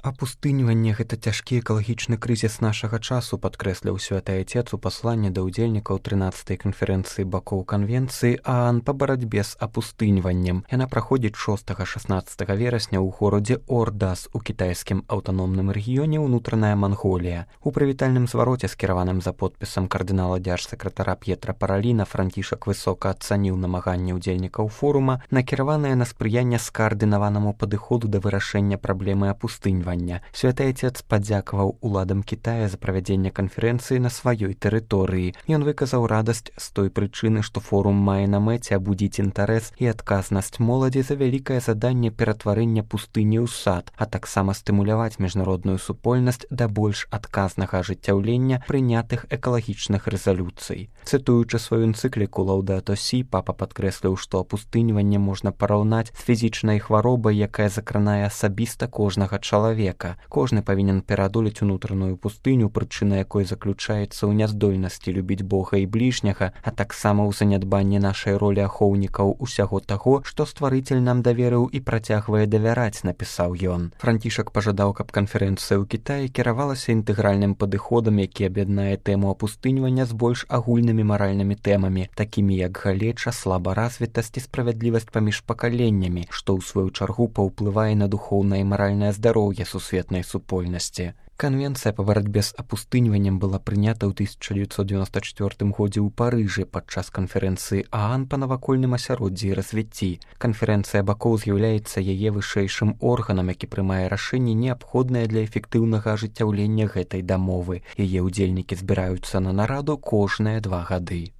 Апустыньванне – гэта цяжкі экалагічны крызіс нашага часу, падкрэсліў святы айцец у пасланні да ўдзельнікаў 13-й канферэнцыі бакоў канвенцыі ААН па барацьбе з апустыньваннем. Яна праходзіць 6-16 верасня ў горадзе Ордас у кітайскім аўтаномным рэгіёне ўнутраная Манголія. У прывітальным звароце, скіраваным за подпісам кардынала дзяржсакратара П'етра Параліна, Францішак высока ацаніў намаганні ўдзельнікаў форума, накіраванае на спрыянне скаардынаванаму падыходу да вырашэння праблемы апустыньвання. Святы айцец падзякаваў уладам Кітая за правядзенне канферэнцыі на сваёй тэрыторыі. Ён выказаў радасць з той прычыны, што форум мае на мэце абудзіць інтарэс і адказнасць моладзі за вялікае заданне ператварэння пустыні ў сад, а таксама стымуляваць міжнародную супольнасць да больш адказнага ажыццяўлення прынятых экалагічных рэзалюцый. Цытуючы сваю энцыкліку «Лаўдато Сі», папа падкрэсліў, што апустыньванне можна параўнаць з фізічнай хваробай, якая закранае асабіста кожнага чалавека. Кожны павінен пераадолець унутраную пустыню, прычына якой заключаецца ў няздольнасці любіць Бога і бліжняга, а таксама ў занядбанні нашай ролі ахоўнікаў усяго таго, што стварыцель нам даверыў і працягвае давяраць, напісаў ён. Францішак пажадаў, каб канферэнцыя ў Кітаі кіравалася інтэгральным падыходам, які аб'яднае тэму апустыньвання з больш агульнымі маральнымі тэмамі, такімі як галеча, слабаразвітасць і справядлівасць паміж пакаленнямі, што ў сваю чаргу паўплывае на духоўнае і маральнае здароўе сусветнай супольнасці. Канвенцыя па барацьбе з апустыньваннем была прынята ў 1994 годзе ў Парыжы падчас канферэнцыі ААН па навакольным асяроддзі і развіцці. Канферэнцыя бакоў з'яўляецца яе вышэйшым органам, які прымае рашэнні, неабходныя для эфектыўнага ажыццяўлення гэтай дамовы. Яе ўдзельнікі збіраюцца на нараду кожныя 2 гады.